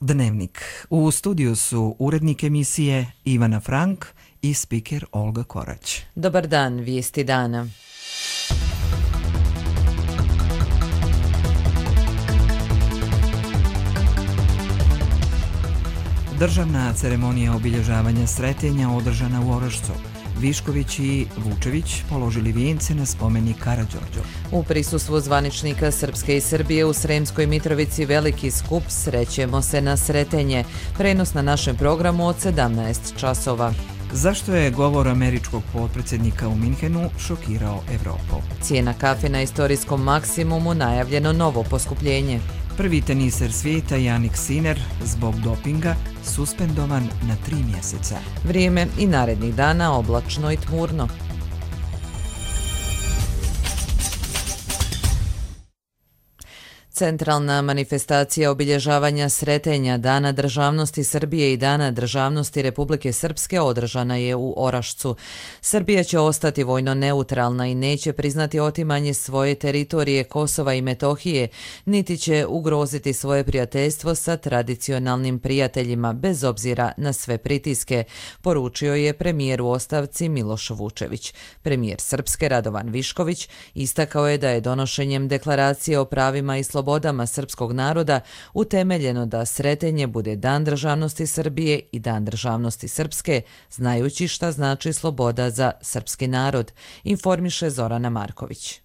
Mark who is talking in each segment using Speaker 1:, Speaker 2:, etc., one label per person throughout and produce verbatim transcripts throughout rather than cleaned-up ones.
Speaker 1: Dnevnik. U studiju su urednik emisije Ivana Frank i spiker Olga Korać.
Speaker 2: Dobar dan, vijesti dana.
Speaker 1: Državna ceremonija obilježavanja Sretenja održana u Orašcu. Višković i Vučević položili vijence na spomenik Karađorđu.
Speaker 2: U prisustvu zvaničnika Srpske i Srbije u Sremskoj Mitrovici veliki skup Srećemo se na Sretenje. Prenos na našem programu od sedamnaest časova.
Speaker 1: Zašto je govor američkog potpredsjednika u Minhenu šokirao Evropu?
Speaker 2: Cijena kafe na istorijskom maksimumu, najavljeno novo poskupljenje.
Speaker 1: Prvi teniser svijeta Jannik Sinner zbog dopinga suspendovan na tri mjeseca.
Speaker 2: Vrijeme i narednih dana oblačno i tmurno. Centralna manifestacija obilježavanja Sretenja, Dana državnosti Srbije i Dana državnosti Republike Srpske održana je u Orašcu. Srbija će ostati vojno neutralna i neće priznati otimanje svoje teritorije Kosova i Metohije, niti će ugroziti svoje prijateljstvo sa tradicionalnim prijateljima, bez obzira na sve pritiske, poručio je premijer u ostavci Miloš Vučević. Premijer Srpske Radovan Višković istakao je da je donošenjem deklaracije o pravima i slobodama slobodama srpskog naroda utemeljeno da Sretenje bude Dan državnosti Srbije i Dan državnosti Srpske, znajući šta znači sloboda za srpski narod, informiše Zorana Marković.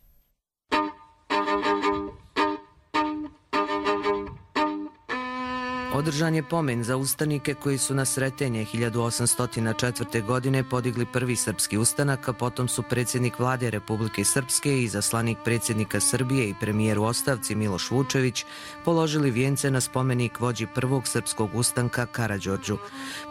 Speaker 3: Održan je pomen za ustanike koji su na Sretenje hiljadu osamsto četvrte. godine podigli prvi srpski ustanak, a potom su predsjednik vlade Republike Srpske i izaslanik predsjednika Srbije i premijer u ostavci Miloš Vučević položili vijence na spomenik vođi prvog srpskog ustanka Karađorđu.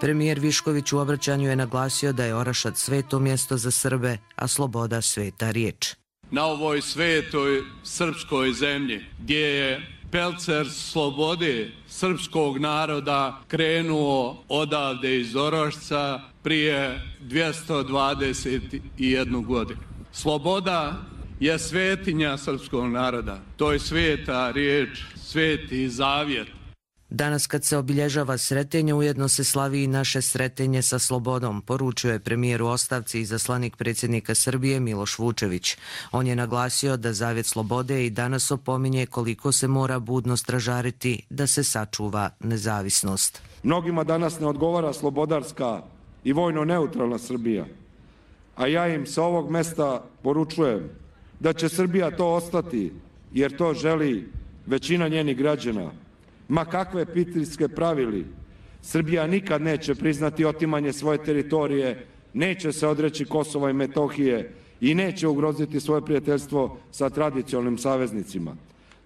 Speaker 3: Premijer Višković u obraćanju je naglasio da je Orašac sveto mjesto za Srbe, a sloboda sveta riječ.
Speaker 4: Na ovoj svetoj srpskoj zemlji gdje je pelcer slobode srpskog naroda krenuo odavde iz Orašca prije dvjesto dvadeset jednu godinu. Sloboda je svetinja srpskog naroda. To je sveta riječ, sveti zavjet.
Speaker 3: Danas kad se obilježava Sretenje, ujedno se slavi i naše Sretenje sa slobodom, poručio je premijer u ostavci i izaslanik predsjednika Srbije Miloš Vučević. On je naglasio da zavjet slobode i danas opominje koliko se mora budno stražariti da se sačuva nezavisnost.
Speaker 5: Mnogima danas ne odgovara slobodarska i vojno neutralna Srbija, a ja im sa ovog mesta poručujem da će Srbija to ostati jer to želi većina njenih građana. Ma kakve pritiske pravili, Srbija nikad neće priznati otimanje svoje teritorije, neće se odreći Kosova i Metohije i neće ugroziti svoje prijateljstvo sa tradicionalnim saveznicima.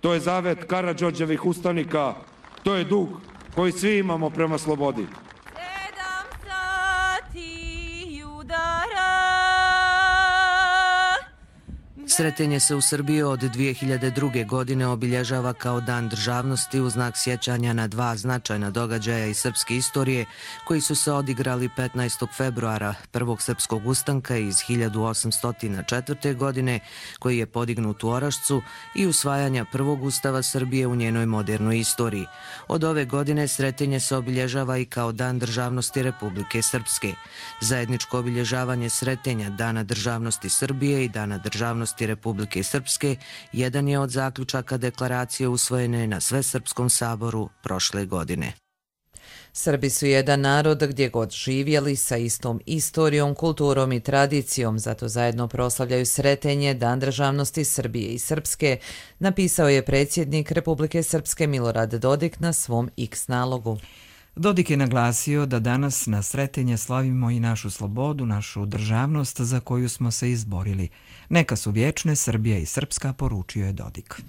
Speaker 5: To je zavet Karađorđevih ustanika, to je dug koji svi imamo prema slobodi.
Speaker 3: Sretenje se u Srbiji od dvije hiljade druge. godine obilježava kao Dan državnosti u znak sjećanja na dva značajna događaja iz srpske istorije koji su se odigrali petnaestog februara, prvog srpskog ustanka iz hiljadu osamsto četvrte. godine koji je podignut u Orašcu i usvajanja prvog ustava Srbije u njenoj modernoj istoriji. Od ove godine Sretenje se obilježava i kao Dan državnosti Republike Srpske. Zajedničko obilježavanje Sretenja, Dana državnosti Srbije i Dana državnosti Republike Srpske jedan je od zaključaka deklaracije usvojene na Svesrpskom saboru prošle godine.
Speaker 2: Srbi su jedan narod gdje god živjeli sa istom istorijom, kulturom i tradicijom, zato zajedno proslavljaju Sretenje, Dan državnosti Srbije i Srpske, napisao je predsjednik Republike Srpske Milorad Dodik na svom X nalogu.
Speaker 1: Dodik je naglasio da danas na Sretenje slavimo i našu slobodu, našu državnost za koju smo se izborili. Neka su vječne Srbija i Srpska, poručio je Dodik.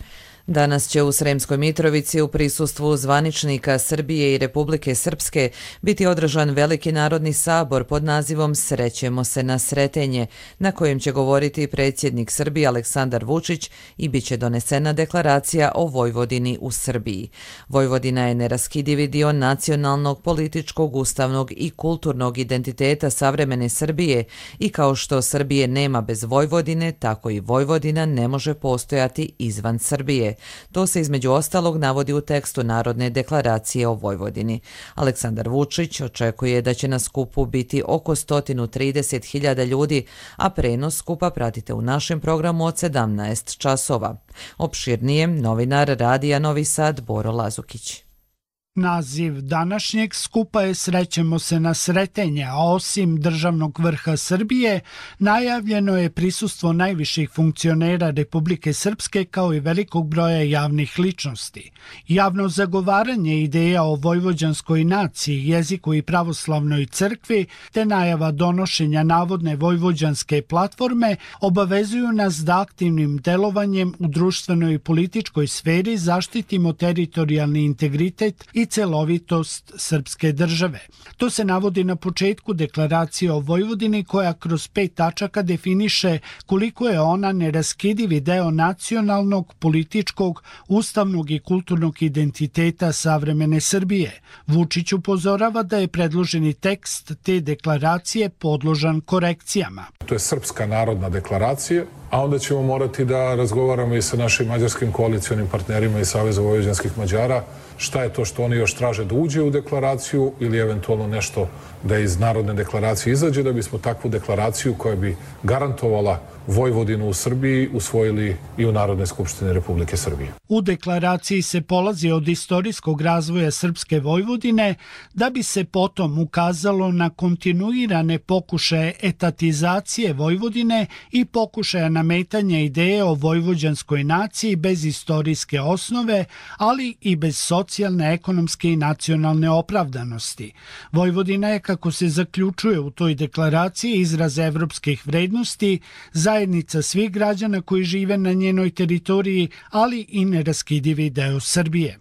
Speaker 2: Danas će u Sremskoj Mitrovici u prisustvu zvaničnika Srbije i Republike Srpske biti održan veliki narodni sabor pod nazivom Srećemo se na Sretenje, na kojem će govoriti predsjednik Srbije Aleksandar Vučić i bit će donesena deklaracija o Vojvodini u Srbiji. Vojvodina je neraskidivi dio nacionalnog, političkog, ustavnog i kulturnog identiteta savremene Srbije i kao što Srbije nema bez Vojvodine, tako i Vojvodina ne može postojati izvan Srbije, Srpske. To se između ostalog navodi u tekstu Narodne deklaracije o Vojvodini. Aleksandar Vučić očekuje da će na skupu biti oko sto trideset hiljada ljudi, a prenos skupa pratite u našem programu od sedamnaest časova. Opširnije, novinar Radija Novi Sad Boro Lazukić.
Speaker 6: Naziv današnjeg skupa je Srećemo se na Sretenje, a osim državnog vrha Srbije, najavljeno je prisustvo najviših funkcionera Republike Srpske kao i velikog broja javnih ličnosti. Javno zagovaranje ideja o vojvođanskoj naciji, jeziku i pravoslavnoj crkvi, te najava donošenja navodne vojvođanske platforme obavezuju nas da aktivnim delovanjem u društvenoj i političkoj sferi zaštitimo teritorijalni integritet i i celovitost srpske države. To se navodi na početku deklaracije o Vojvodini koja kroz pet tačaka definiše koliko je ona neraskidivi deo nacionalnog, političkog, ustavnog i kulturnog identiteta savremene Srbije. Vučić upozorava da je predloženi tekst te deklaracije podložan korekcijama.
Speaker 7: To je srpska narodna deklaracija, a onda ćemo morati da razgovaramo i sa našim mađarskim koalicionim partnerima iz Saveza vojvođanskih Mađara šta je to što oni još traže da uđe u deklaraciju ili eventualno nešto da iz narodne deklaracije izađe, da bismo takvu deklaraciju koja bi garantovala Vojvodinu u Srbiji usvojili i u Narodnoj skupštini Republike Srbije.
Speaker 6: U deklaraciji se polazi od istorijskog razvoja srpske Vojvodine da bi se potom ukazalo na kontinuirane pokušaje etatizacije Vojvodine i pokušaja nametanja ideje o vojvođanskoj naciji bez istorijske osnove, ali i bez socijalne, ekonomske i nacionalne opravdanosti. Vojvodina je, kako se zaključuje u toj deklaraciji, izraz evropskih vrednosti, zajednica svih građana koji žive na njenoj teritoriji, ali i neraskidivi deo Srbije.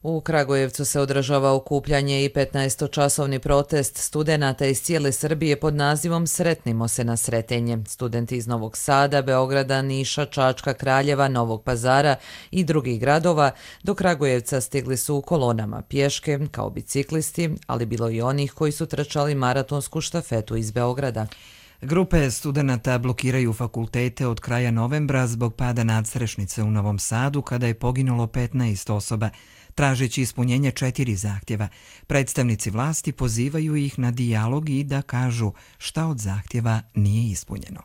Speaker 2: U Kragujevcu se održava okupljanje i petnaestočasovni protest studenata iz cijele Srbije pod nazivom Sretnimo se na Sretenje. Studenti iz Novog Sada, Beograda, Niša, Čačka, Kraljeva, Novog Pazara i drugih gradova do Kragujevca stigli su u kolonama pješke kao biciklisti, ali bilo i onih koji su trčali maratonsku štafetu iz Beograda.
Speaker 1: Grupe studenata blokiraju fakultete od kraja novembra zbog pada nadstrešnice u Novom Sadu kada je poginulo petnaest osoba, tražeći ispunjenje četiri zahtjeva. Predstavnici vlasti pozivaju ih na dijalog i da kažu šta od zahtjeva nije ispunjeno.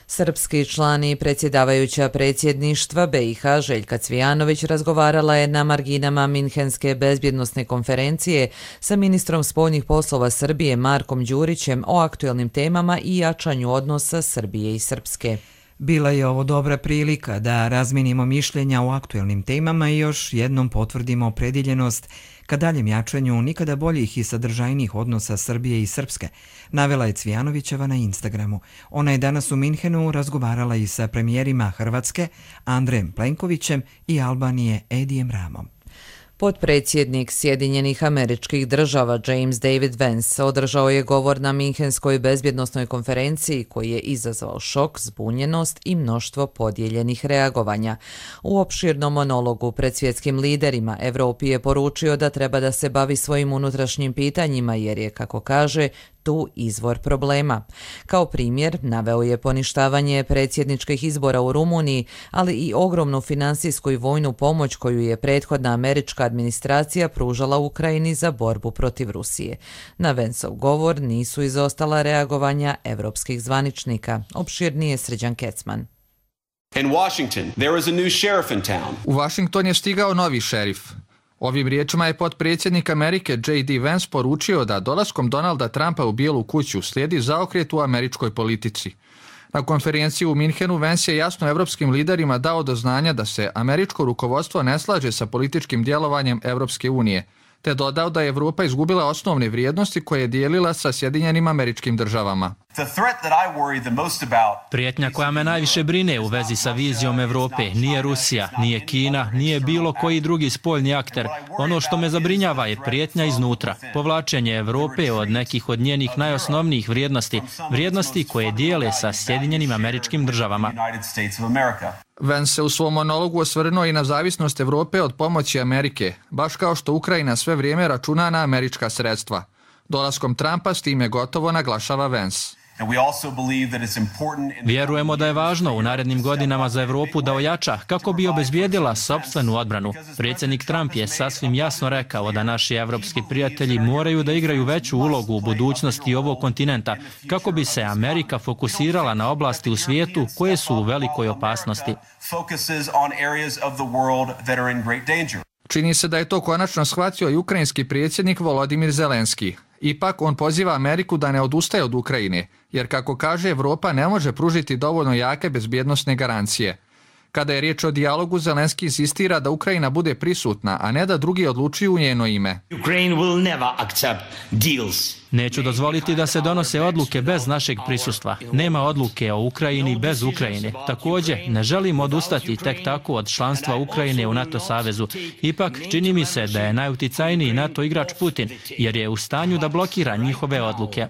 Speaker 2: Srpski član i predsjedavajuća predsjedništva be i ha Željka Cvijanović razgovarala je na marginama Minhenske bezbjednosne konferencije sa ministrom spoljnih poslova Srbije Markom Đurićem o aktuelnim temama i jačanju odnosa Srbije i Srpske.
Speaker 1: Bila je ovo dobra prilika da razminimo mišljenja o aktuelnim temama i još jednom potvrdimo opredjeljenost ka daljem jačanju nikada boljih i sadržajnijih odnosa Srbije i Srpske, navela je Cvijanovićeva na Instagramu. Ona je danas u Minhenu razgovarala i sa premijerima Hrvatske Andrejem Plenkovićem i Albanije Edijem Ramom.
Speaker 2: Potpredsjednik Sjedinjenih Američkih Država James David Vance održao je govor na Minhenskoj bezbjednosnoj konferenciji koji je izazvao šok, zbunjenost i mnoštvo podijeljenih reagovanja. U opširnom monologu pred svjetskim liderima Evropi je poručio da treba da se bavi svojim unutrašnjim pitanjima jer je, kako kaže, tu izvor problema. Kao primjer naveo je poništavanje predsjedničkih izbora u Rumuniji, ali i ogromnu finansijsku i vojnu pomoć koju je prethodna američka administracija pružala Ukrajini za borbu protiv Rusije. Na Vencov govor nisu izostala reagovanja evropskih zvaničnika. Opširnije Srđan Kecman.
Speaker 8: In Washington, there is a new sheriff in town.
Speaker 9: U Washington je stigao novi šerif. Ovim riječima je potpredsjednik Amerike J D Vance poručio da dolaskom Donalda Trumpa u Bijelu kuću slijedi zaokret u američkoj politici. Na konferenciji u Minhenu Vance je jasno evropskim liderima dao do znanja da se američko rukovodstvo ne slaže sa političkim djelovanjem Evropske unije, te dodao da je Evropa izgubila osnovne vrijednosti koje je dijelila sa Sjedinjenim Američkim Državama.
Speaker 10: Prijetnja koja me najviše brine u vezi sa vizijom Evrope nije Rusija, nije Kina, nije bilo koji drugi spoljni akter. Ono što me zabrinjava je prijetnja iznutra, povlačenje Evrope od nekih od njenih najosnovnijih vrijednosti, vrijednosti koje dijele sa Sjedinjenim Američkim Državama.
Speaker 9: Vance se u svom monologu osvrnuo i na zavisnost Evrope od pomoći Amerike, baš kao što Ukrajina sve vrijeme računa na američka sredstva. Dolaskom Trumpa s tim je gotovo, naglašava Vance.
Speaker 10: Vjerujemo da je važno u narednim godinama za Evropu da ojača kako bi obezbijedila sopstvenu odbranu. Predsjednik Trump je sasvim jasno rekao da naši evropski prijatelji moraju da igraju veću ulogu u budućnosti ovog kontinenta kako bi se Amerika fokusirala na oblasti u svijetu koje su u velikoj opasnosti.
Speaker 9: Čini se da je to konačno shvatio i ukrajinski predsjednik Volodimir Zelenski. Ipak on poziva Ameriku da ne odustaje od Ukrajine, jer kako kaže Evropa ne može pružiti dovoljno jake bezbjednosne garancije. Kada je riječ o dijalogu, Zelenski insistira da Ukrajina bude prisutna, a ne da drugi odlučuju u njeno ime.
Speaker 10: Neću dozvoliti da se donose odluke bez našeg prisustva. Nema odluke o Ukrajini bez Ukrajine. Također, ne želim odustati tek tako od članstva Ukrajine u NATO savezu. Ipak, čini mi se da je najuticajniji NATO igrač Putin, jer je u stanju da blokira njihove odluke.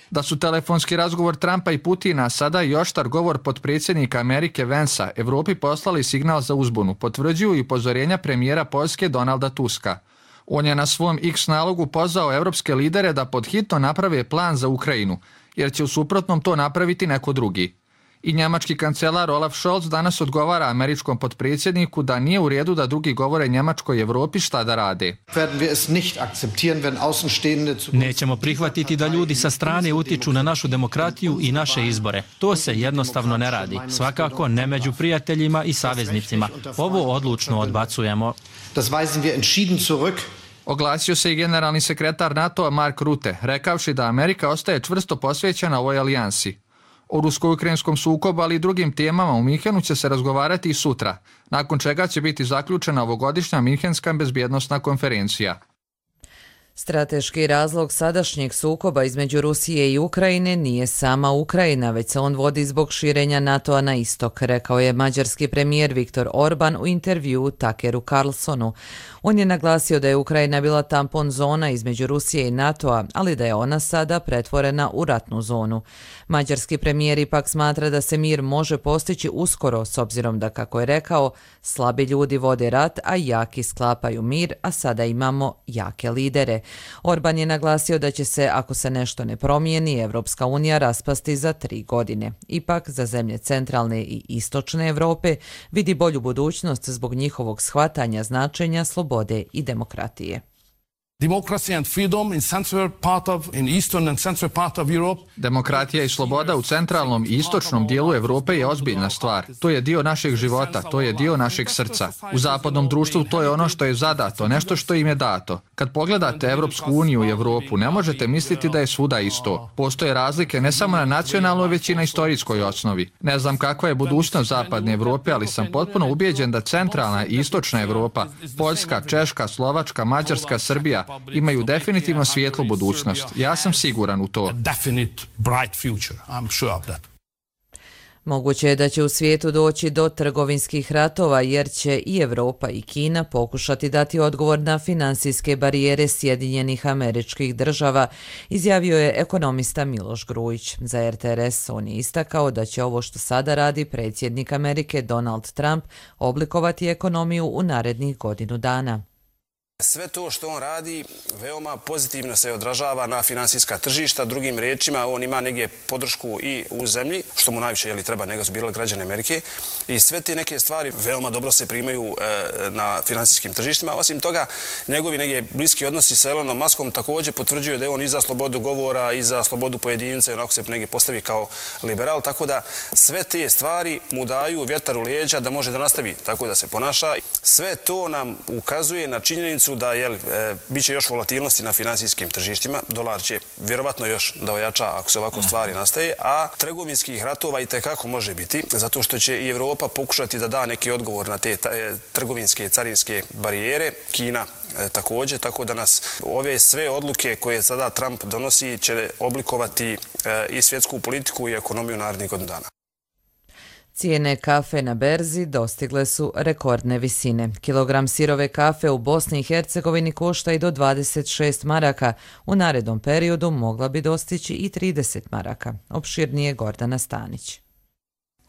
Speaker 9: Da su telefonski razgovor Trumpa i Putina, sada i oštar govor potpredsjednika Amerike Vansa, Evropi poslali signal za uzbunu, potvrđuju i upozorenja premijera Poljske Donalda Tuska. On je na svom X nalogu pozvao evropske lidere da podhitno naprave plan za Ukrajinu, jer će u suprotnom to napraviti neko drugi. I njemački kancelar Olaf Scholz danas odgovara američkom potpredsjedniku da nije u redu da drugi govore Njemačkoj i Evropi šta da rade.
Speaker 10: Nećemo prihvatiti da ljudi sa strane utiču na našu demokratiju i naše izbore. To se jednostavno ne radi. Svakako ne među prijateljima i saveznicima. Ovo odlučno odbacujemo.
Speaker 9: Oglasio se i generalni sekretar NATO-a Mark Rutte, rekavši da Amerika ostaje čvrsto posvećena ovoj alijansi. O rusko-ukrajinskom sukobu, ali i drugim temama u Minhenu će se razgovarati i sutra, nakon čega će biti zaključena ovogodišnja Minhenska bezbjednosna konferencija.
Speaker 2: Strateški razlog sadašnjeg sukoba između Rusije i Ukrajine nije sama Ukrajina, već se on vodi zbog širenja NATO-a na istok, rekao je mađarski premijer Viktor Orban u intervjuu Tuckeru Carlsonu. On je naglasio da je Ukrajina bila tampon zona između Rusije i NATO-a, ali da je ona sada pretvorena u ratnu zonu. Mađarski premijer ipak smatra da se mir može postići uskoro, s obzirom da, kako je rekao, slabi ljudi vode rat, a jaki sklapaju mir, a sada imamo jake lidere. Orban je naglasio da će se, ako se nešto ne promijeni, Evropska unija raspasti za tri godine. Ipak, za zemlje centralne i istočne Evrope vidi bolju budućnost zbog njihovog shvatanja značenja slobode i demokratije.
Speaker 9: Demokratija i sloboda u centralnom i istočnom dijelu Evrope je ozbiljna stvar. To je dio našeg života, to je dio našeg srca. U zapadnom društvu to je ono što je zadato, nešto što im je dato. Kad pogledate Evropsku uniju i Evropu, ne možete misliti da je svuda isto. Postoje razlike ne samo na nacionalnoj, već i na istorijskoj osnovi. Ne znam kakva je budućnost zapadne Evrope, ali sam potpuno ubijeđen da centralna i istočna Evropa, Poljska, Češka, Slovačka, Mađarska, Srbija, imaju definitivno svijetlu budućnost. Ja sam siguran u to.
Speaker 2: Moguće je da će u svijetu doći do trgovinskih ratova, jer će i Evropa i Kina pokušati dati odgovor na finansijske barijere Sjedinjenih Američkih Država, izjavio je ekonomista Miloš Grujić. Za R T R S on je istakao da će ovo što sada radi predsjednik Amerike Donald Trump oblikovati ekonomiju u narednih godinu dana.
Speaker 11: Sve to što on radi veoma pozitivno se odražava na finansijska tržišta. Drugim riječima, on ima negdje podršku i u zemlji, što mu najviše jeli, treba, nego su bile građane Amerike. I sve te neke stvari veoma dobro se primaju e, na finansijskim tržištima. Osim toga, njegovi negdje bliski odnosi sa Elonom Muskom također potvrđuju da je on i za slobodu govora i za slobodu pojedinca i onako se negdje postavi kao liberal. Tako da sve te stvari mu daju vjetar u leđa da može da nastavi tako da se ponaša. Sve to nam ukazuje na činjenicu da jel, e, bit će još volatilnosti na finansijskim tržištima. Dolar će vjerovatno još da ojača ako se ovako stvari nastaje, a trgovinskih ratova i tekako može biti, zato što će i Evropa pokušati da da neki odgovor na te e, trgovinske carinske barijere. Kina e, također, tako da nas ove sve odluke koje sada Trump donosi će oblikovati e, i svjetsku politiku i ekonomiju narednih godina dana.
Speaker 2: Cijene kafe na berzi dostigle su rekordne visine. Kilogram sirove kafe u Bosni i Hercegovini košta i do dvadeset šest maraka. U narednom periodu mogla bi dostići i trideset maraka. Opširnije Gordana Stanić.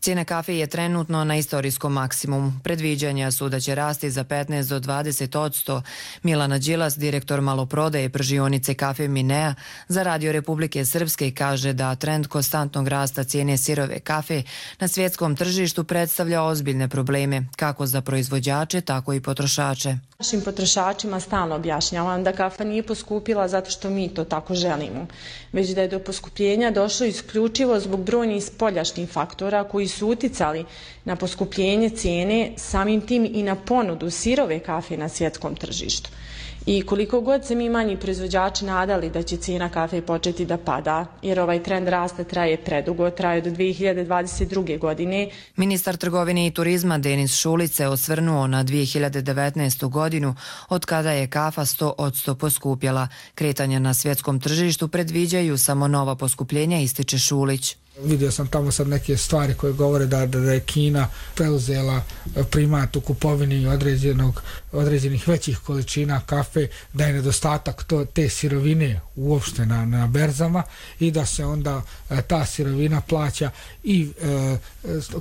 Speaker 12: Cijena kafe je trenutno na istorijskom maksimumu. Predviđanja su da će rasti za petnaest do dvadeset odsto. Milana Đilas, direktor maloprodaje pržionice kafe Minea, za Radio Republike Srpske kaže da trend konstantnog rasta cijene sirove kafe na svjetskom tržištu predstavlja ozbiljne probleme, kako za proizvođače, tako i potrošače.
Speaker 13: Našim potrošačima stalno objašnjavam da kafa nije poskupila zato što mi to tako želimo, već da je do poskupljenja došlo isključivo zbog brojnih spoljašnjih faktora koji su uticali na poskupljenje cijene, samim tim i na ponudu sirove kafe na svjetskom tržištu. I koliko god se mi manji proizvođači nadali da će cijena kafe početi da pada, jer ovaj trend rasta traje predugo, traje do dvije hiljade dvadeset druge. godine.
Speaker 12: Ministar trgovine i turizma Denis Šulić se osvrnuo na dvije hiljade devetnaestu. godinu, od kada je kafa sto odsto poskupjela. Kretanja na svjetskom tržištu predviđaju samo nova poskupljenja, ističe Šulić.
Speaker 14: Vidio sam tamo sad neke stvari koje govore da, da je Kina preuzela primat u kupovini određenog, određenih većih količina kafe, da je nedostatak to, te sirovine uopšte na, na berzama i da se onda e, ta sirovina plaća i e,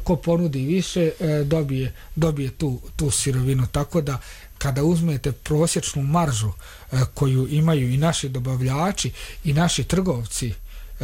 Speaker 14: ko ponudi više e, dobije, dobije tu, tu sirovinu. Tako da kada uzmete prosječnu maržu e, koju imaju i naši dobavljači i naši trgovci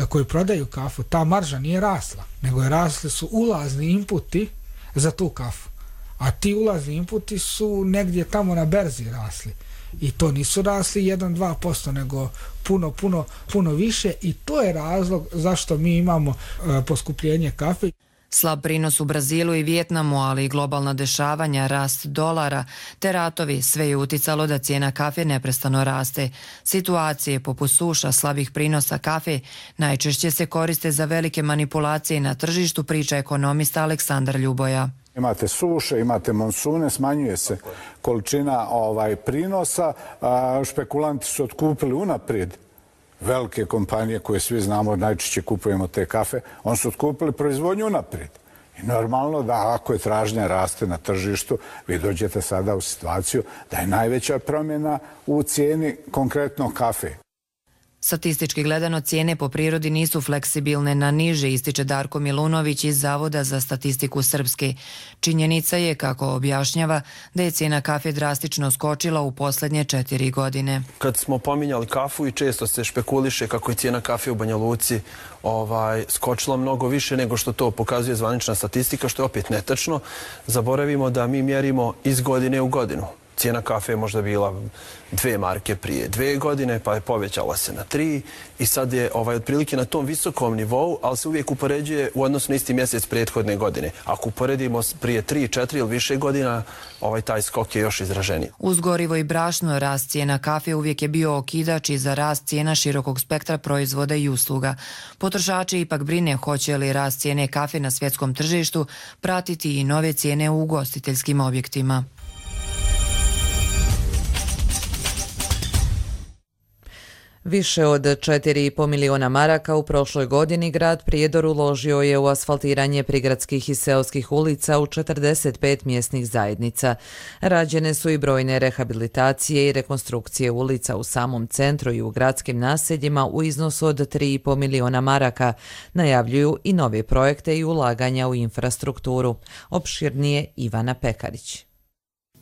Speaker 14: koji prodaju kafu, ta marža nije rasla, nego je rasli su ulazni inputi za tu kafu. A ti ulazni inputi su negdje tamo na berzi rasli. I to nisu rasli jedan do dva posto, nego puno, puno, puno više i to je razlog zašto mi imamo uh, poskupljenje kafe.
Speaker 12: Slab prinos u Brazilu i Vijetnamu, ali i globalna dešavanja, rast dolara te ratovi, sve je uticalo da cijena kafe neprestano raste. Situacije poput suša, slabih prinosa kafe najčešće se koriste za velike manipulacije na tržištu, priča ekonomista Aleksandar Ljuboja.
Speaker 15: Imate suše, imate monsune, smanjuje se količina ovaj prinosa, a špekulanti su otkupili unaprijed velike kompanije koje svi znamo, najčešće kupujemo te kafe, oni su otkupili proizvodnju naprijed. I normalno da ako je tražnja raste na tržištu, vi dođete sada u situaciju da je najveća promjena u cijeni konkretno kafe.
Speaker 12: Statistički gledano, cijene po prirodi nisu fleksibilne na niže, ističe Darko Milunović iz Zavoda za statistiku Srpske. Činjenica je, kako objašnjava, da je cijena kafe drastično skočila u posljednje četiri godine.
Speaker 16: Kad smo pominjali kafu i često se špekuliše kako je cijena kafe u Banja Luci ovaj, skočila mnogo više nego što to pokazuje zvanična statistika, što je opet netačno. Zaboravimo da mi mjerimo iz godine u godinu. Cijena kafe je možda bila dve marke prije dve godine, pa je povećala se na tri i sad je ovaj, otprilike na tom visokom nivou, ali se uvijek upoređuje u odnosu na isti mjesec prethodne godine. Ako uporedimo prije tri, četiri ili više godina, ovaj, taj skok je još izraženiji.
Speaker 12: Uz gorivo i brašno, rast cijena kafe uvijek je bio okidač i za rast cijena širokog spektra proizvoda i usluga. Potrošači ipak brine hoće li rast cijene kafe na svjetskom tržištu pratiti i nove cijene u ugostiteljskim objektima.
Speaker 2: Više od četiri i po miliona maraka u prošloj godini grad Prijedor uložio je u asfaltiranje prigradskih i seoskih ulica u četrdeset pet mjesnih zajednica. Rađene su i brojne rehabilitacije i rekonstrukcije ulica u samom centru i u gradskim naseljima u iznosu od tri i po miliona maraka. Najavljuju i nove projekte i ulaganja u infrastrukturu. Opširnije Ivana Pekarić.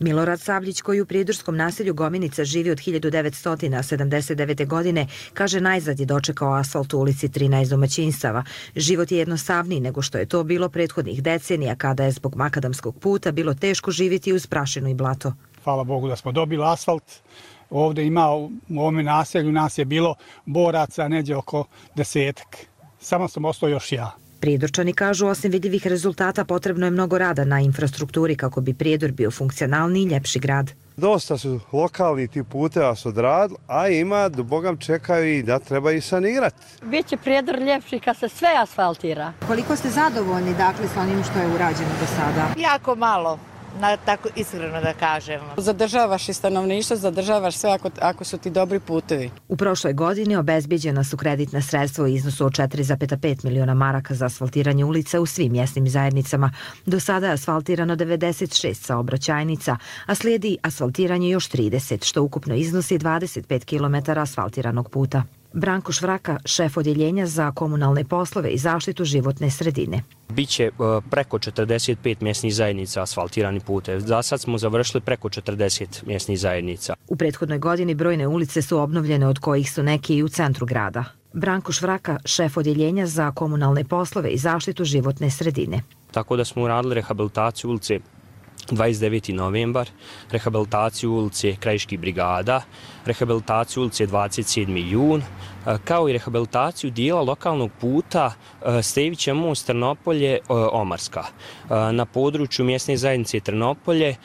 Speaker 17: Milorad Savljić, koji u prijedorskom naselju Gominica živi od hiljadu devetsto sedamdeset devete. godine, kaže najzad je dočekao asfalt u ulici trinaest domaćinstava. Život je jednostavniji nego što je to bilo prethodnih decenija, kada je zbog makadamskog puta bilo teško živjeti uz prašinu i blato.
Speaker 18: Hvala Bogu da smo dobili asfalt. Ovdje ima u ovome naselju, nas je bilo boraca neđe oko desetak. Samo sam ostao još ja.
Speaker 17: Prijedorčani kažu, osim vidljivih rezultata, potrebno je mnogo rada na infrastrukturi kako bi Prijedor bio funkcionalni i ljepši grad.
Speaker 19: Dosta su lokalni ti puteva su odradili, a ima, do Bogam čekaju i da treba i sanirati.
Speaker 20: Biće Prijedor ljepši kad se sve asfaltira.
Speaker 17: Koliko ste zadovoljni, dakle, s onim što je urađeno do sada?
Speaker 21: Jako malo. Na, tako iskreno da kažem.
Speaker 22: Zadržavaš i stanovništvo, zadržavaš sve ako, ako su ti dobri putevi.
Speaker 17: U prošloj godini obezbijeđena su kreditna sredstva u iznosu od četiri zarez pet miliona maraka za asfaltiranje ulica u svim mjesnim zajednicama. Do sada je asfaltirano devedeset šest saobraćajnica, a slijedi asfaltiranje još trideset, što ukupno iznosi dvadeset pet kilometara asfaltiranog puta. Branko Švraka, šef odjeljenja za komunalne poslove i zaštitu životne sredine.
Speaker 4: Biće preko četrdeset pet mjesnih zajednica asfaltirani putev. Za sad smo završili preko četrdeset mjesnih zajednica.
Speaker 17: U prethodnoj godini brojne ulice su obnovljene, od kojih su neke i u centru grada. Branko Švraka, šef odjeljenja za komunalne poslove i zaštitu životne sredine.
Speaker 4: Tako da smo uradili rehabilitaciju ulice dvadeset deveti novembar, rehabilitaciju ulice Krajiških brigada, rehabilitaciju ulice dvadeset sedmi jun, kao i rehabilitaciju dijela lokalnog puta Stevića most Trnopolje Omarska na području mjesne zajednice Trnopolje,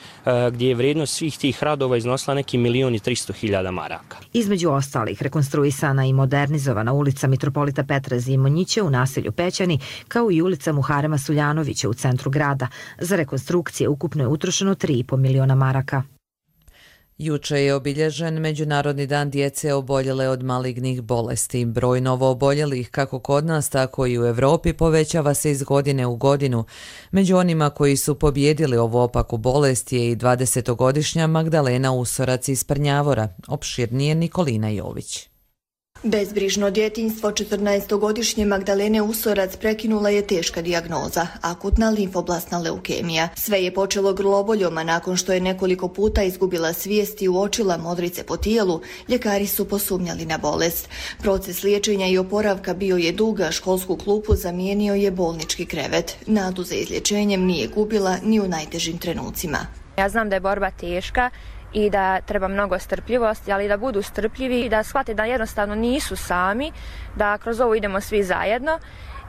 Speaker 4: gdje je vrijednost svih tih radova iznosila neki milion i tristo hiljada maraka.
Speaker 17: Između ostalih, rekonstruisana i modernizovana ulica Mitropolita Petra Zimonjića u naselju Pećani, kao i ulica Muharema Suljanovića u centru grada. Za rekonstrukcije ukupno je utrošeno tri i po miliona maraka.
Speaker 2: Juče je obilježen Međunarodni dan djece oboljele od malignih bolesti. Broj novo oboljelih kako kod nas, tako i u Evropi povećava se iz godine u godinu. Među onima koji su pobjedili ovu opaku bolest je i dvadesetogodišnja Magdalena Usorac iz Prnjavora. Opširnije Nikolina Jović.
Speaker 5: Bezbrižno djetinjstvo četrnaestogodišnje Magdalene Usorac prekinula je teška dijagnoza, akutna limfoblastna leukemija. Sve je počelo grloboljom, a nakon što je nekoliko puta izgubila svijest i uočila modrice po tijelu, ljekari su posumnjali na bolest. Proces liječenja i oporavka bio je dug, a školsku klupu zamijenio je bolnički krevet. Nadu za izlječenjem nije gubila ni u najtežim trenucima.
Speaker 23: Ja znam da je borba teška i da treba mnogo strpljivosti, ali da budu strpljivi i da shvate da jednostavno nisu sami, da kroz ovo idemo svi zajedno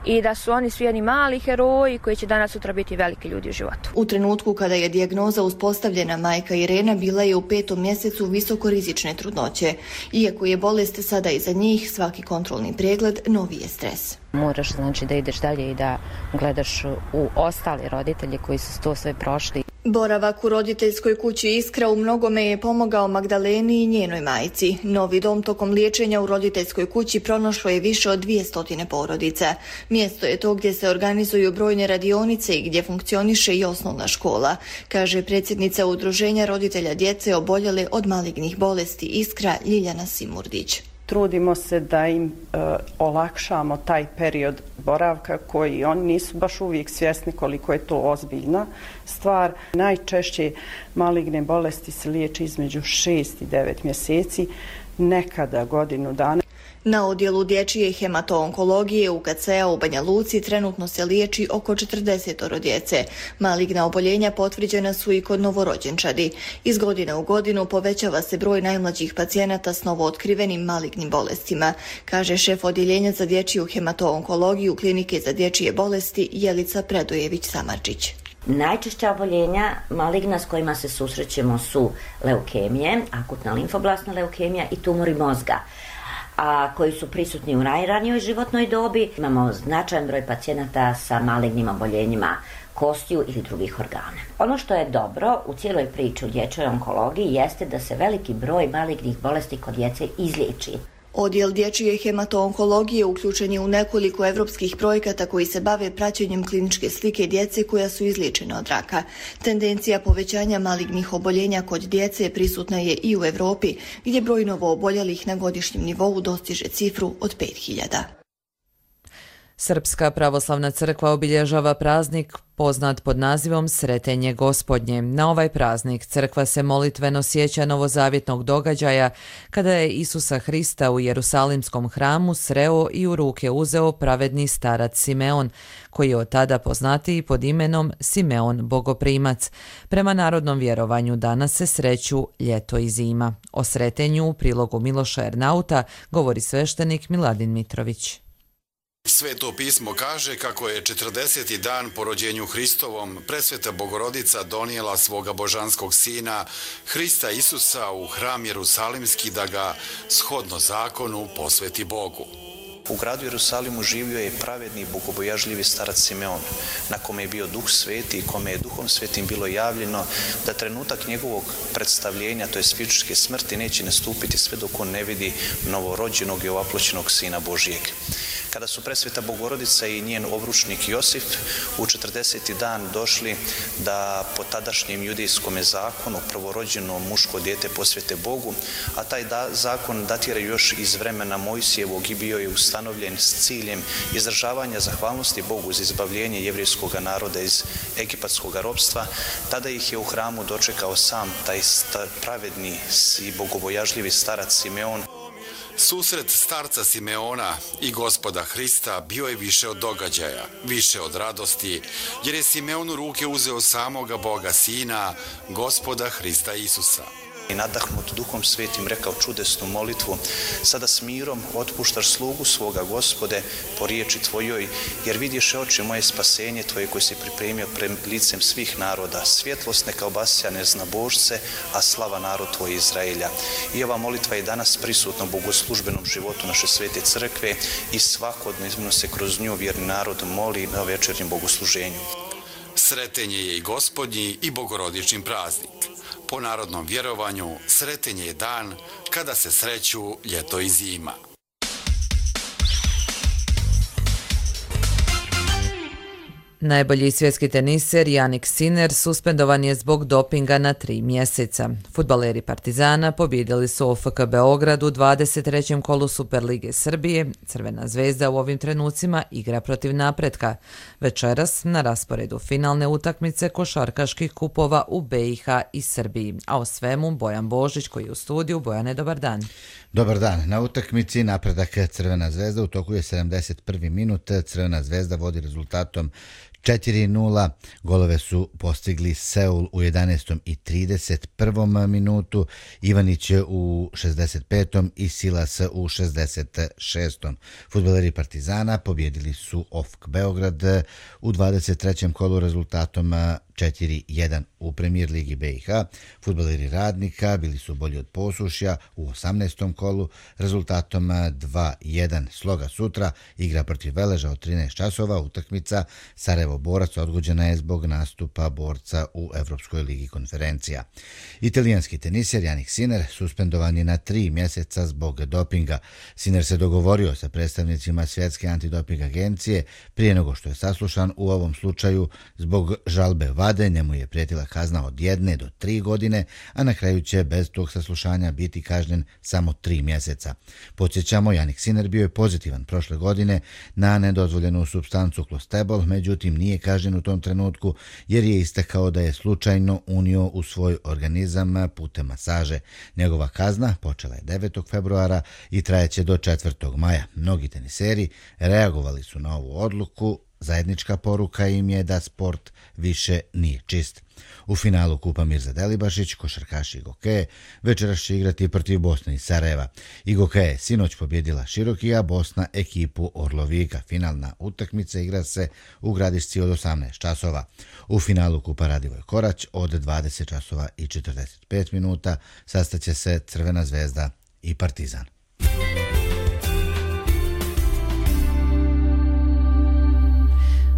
Speaker 23: i da su oni svi jedni mali heroji koji će danas sutra biti veliki ljudi u životu.
Speaker 5: U trenutku kada je dijagnoza uspostavljena, majka Irena bila je u petom mjesecu visokorizične trudnoće. Iako je bolest sada iza njih, svaki kontrolni pregled novi je stres.
Speaker 24: Moraš znači da ideš dalje i da gledaš u ostali roditelji koji su to sve prošli.
Speaker 5: Boravak u roditeljskoj kući Iskra u mnogome je pomogao Magdaleni i njenoj majci. Novi dom tokom liječenja u roditeljskoj kući pronašlo je više od dvjesto porodica. Mjesto je to gdje se organizuju brojne radionice i gdje funkcioniše i osnovna škola, kaže predsjednica Udruženja roditelja djece oboljele od malignih bolesti Iskra Ljiljana Simurdić.
Speaker 25: Trudimo se da im e, olakšamo taj period boravka koji oni nisu baš uvijek svjesni koliko je to ozbiljna stvar. Najčešće maligne bolesti se liječe između šest i devet mjeseci, nekada godinu dana.
Speaker 5: Na odjelu dječje hematoonkologije U K C-a u Banja Luci trenutno se liječi oko četrdeset djece. Maligna oboljenja potvrđena su i kod novorođenčadi. Iz godine u godinu povećava se broj najmlađih pacijenata s novootkrivenim malignim bolestima, kaže šef odjeljenja za dječju hematoonkologiju Klinike za dječje bolesti Jelica Predojević-Samarčić.
Speaker 26: Najčešća oboljenja maligna s kojima se susrećemo su leukemije, akutna limfoblastna leukemija i tumori mozga, a koji su prisutni u najranijoj životnoj dobi. Imamo značajan broj pacijenata sa malignim oboljenjima kostiju ili drugih organa. Ono što je dobro u cijeloj priči u dječjoj onkologiji jeste da se veliki broj malignih bolesti kod djece izliječi.
Speaker 5: Odjel dječje hematoonkologije uključen je u nekoliko evropskih projekata koji se bave praćenjem kliničke slike djece koja su izliječena od raka. Tendencija povećanja malignih oboljenja kod djece prisutna je i u Evropi, gdje broj novooboljelih na godišnjem nivou dostiže cifru od pet hiljada.
Speaker 2: Srpska pravoslavna crkva obilježava praznik poznat pod nazivom Sretenje Gospodnje. Na ovaj praznik crkva se molitveno sjeća novozavjetnog događaja kada je Isusa Hrista u Jerusalimskom hramu sreo i u ruke uzeo pravedni starac Simeon, koji je od tada poznatiji pod imenom Simeon Bogoprimac. Prema narodnom vjerovanju danas se sreću ljeto i zima. O sretenju u prilogu Miloša Ernauta govori sveštenik Miladin Mitrović.
Speaker 27: Sveto pismo kaže kako je četrdeseti dan po rođenju Hristovom presveta Bogorodica donijela svoga božanskog sina Hrista Isusa u hram Jerusalimski da ga shodno zakonu posveti Bogu.
Speaker 28: U gradu Jerusalimu živio je pravedni, bogobojažljivi starac Simeon, na kome je bio Duh Sveti i kome je Duhom Svetim bilo javljeno da trenutak njegovog predstavljenja, to je fizičke smrti, neće nastupiti sve dok on ne vidi novorođenog i ovaploćenog Sina Božijeg. kada su presveta Bogorodica i njen obručnik Josif u četrdeseti dan došli da po tadašnjem judejskom zakonu prvorođeno muško dijete posvete Bogu, a taj da, zakon datira još iz vremena Mojsijevog i bio je ustanovljen s ciljem izražavanja zahvalnosti Bogu za izbavljenje jevrijskog naroda iz egipatskog ropstva. Tada ih je u hramu dočekao sam taj pravedni i bogobojažljivi starac Simeon.
Speaker 27: Susret starca Simeona i Gospoda Hrista bio je više od događaja, više od radosti, jer je Simeon u ruke uzeo samoga Boga Sina, Gospoda Hrista Isusa.
Speaker 28: I nadahnut Duhom Svetim rekao čudesnu molitvu: sada s mirom otpuštaš slugu svoga, Gospode, po riječi Tvojoj, jer vidiše oči moje spasenje Tvoje koje si pripremio pred licem svih naroda. Svjetlost neka obasja neznabožce, a slava narod Tvoj Izraelja. I ova molitva je danas prisutna u bogoslužbenom životu naše svete crkve i svakodnevno se kroz nju vjerni narod moli na večernjem bogosluženju.
Speaker 27: Sretenje je i Gospodnji i bogorodični praznik. Po narodnom vjerovanju, Sretenje je dan kada se sreću ljeto i zima.
Speaker 2: Najbolji svjetski teniser Jannik Sinner suspendovan je zbog dopinga na tri mjeseca. Fudbaleri Partizana pobjedili su O F K Beograd u dvadeset trećem kolu Superlige Srbije. Crvena zvezda u ovim trenucima igra protiv Napretka. Večeras na rasporedu finalne utakmice košarkaških kupova u B i H i Srbiji. A o svemu Bojan Božić koji je u studiju. Bojane, dobar dan.
Speaker 1: Dobar dan. Na utakmici Napredak Crvena zvezda u toku je sedamdeset prvi minut. Crvena zvezda vodi rezultatom četiri nula. Golove su postigli Seul u jedanaestom i trideset prvom minutu, Ivanić u šezdeset petom i Silas u šezdeset šestom Fudbaleri Partizana pobjedili su O F K Beograd u dvadeset trećem kolu rezultatom četiri jedan. U Premier ligi B i H fudbaleri Radnika bili su bolji od Posušja u osamnaestom kolu rezultatom dva jedan. Sloga sutra igra protiv Veleža od trinaest časova. Utakmica Sarajevo Borac odgođena je zbog nastupa borca u Evropskoj ligi konferencija. Italijanski teniser Jannik Sinner suspendovan je na tri mjeseca zbog dopinga. Sinner se dogovorio sa predstavnicima Svjetske antidoping agencije prije nego što je saslušan u ovom slučaju zbog žalbe vade. Njemu je prijetila kazna od jedne do tri godine, a na kraju će bez tog saslušanja biti kažnjen samo tri mjeseca. Podsjećamo, Jannik Sinner bio je pozitivan prošle godine na nedozvoljenu supstancu klostebol, međutim nije kažnjen u tom trenutku jer je istakao da je slučajno unio u svoj organizam putem masaže. Njegova kazna počela je devetog februara i trajeće do četvrtog maja. Mnogi teniseri reagovali su na ovu odluku. Zajednička poruka im je da sport više nije čist. U finalu Kupa Mirza Delibašić košarkaši Igokeje večeras će igrati protiv Bosne i Sarajeva. Igokeje sinoć pobjedila Širokija, Bosna ekipu Orlovika. Finalna utakmica igra se u Gradišci od osamnaest časova. U finalu Kupa Radivoj Korać od dvadeset časova i četrdeset pet minuta sastaće se Crvena zvezda i Partizan.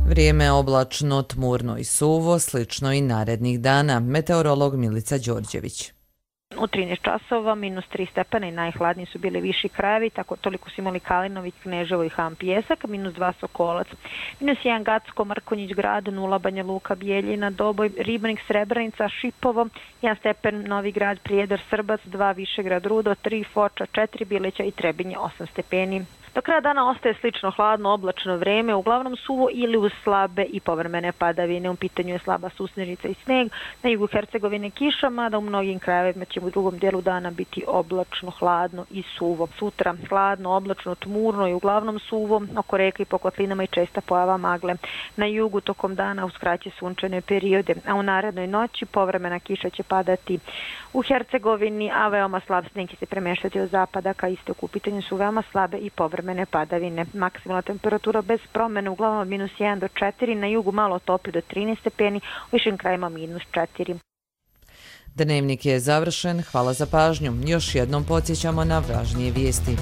Speaker 2: Vrijeme je oblačno, tmurno i suvo, slično i narednih dana. Meteorolog Milica Đorđević.
Speaker 3: U trinaest časova, minus tri stepena i najhladniji su bili viši krajevi, tako toliko su imali Kalinović, Kneževo i Ham Pijesak, minus dva Sokolac, minus jedan Gacko, Mrkonjić grad, nula Banja Luka, Bijeljina, Doboj, Ribnik, Srebrenica, Šipovo, jedan stepen Novi grad, Prijedor, Srbac, dva Višegrad, Rudo, tri Foča, četiri Bileća i Trebinje, osam stepeni. Do kraja dana ostaje slično hladno oblačno vreme, uglavnom suvo ili uz slabe i povremene padavine. U pitanju je slaba susnežica i sneg, na jugu Hercegovine kiša, mada u mnogim krajevima će u drugom dijelu dana biti oblačno, hladno i suvo. Sutra hladno, oblačno, tmurno i uglavnom suvo, oko reka i po kotlinama i česta pojava magle. Na jugu tokom dana uz kraće sunčane periode, a u narednoj noći povremena kiša će padati u Hercegovini, a veoma slab sneg će se premeštati od zapada ka istoku. U pitanju su veoma slabe i povremene padavine. Maksimalna temperatura bez promjene uglavnom minus jedan do četiri, na jugu malo toplije do trinaest stepeni, u višim krajima minus četiri.
Speaker 2: Dnevnik je završen, hvala za pažnju. Još jednom podsjećamo na važnije vijesti.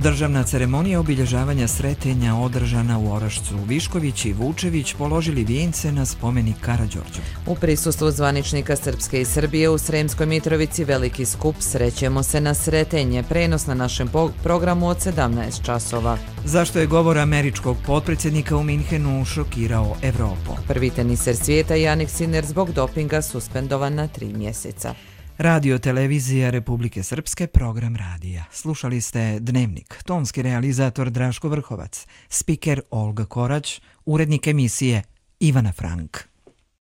Speaker 6: Državna ceremonija obilježavanja Sretenja održana u Orašcu. Višković i Vučević položili vijence na spomenik Karađorđu.
Speaker 2: U prisustvu zvaničnika Srpske i Srbije u Sremskoj Mitrovici veliki skup Srećemo se na Sretenje, prenos na našem programu od sedamnaest časova.
Speaker 6: Zašto je govor američkog potpredsjednika u Minhenu šokirao Evropu?
Speaker 2: Prvi teniser svijeta Jannik Sinner zbog dopinga suspendovan na tri mjeseca.
Speaker 6: Radio Televizija Republike Srpske, program radija. Slušali ste Dnevnik, tonski realizator Draško Vrhovac, spiker Olga Korać, urednik emisije Ivana Frank.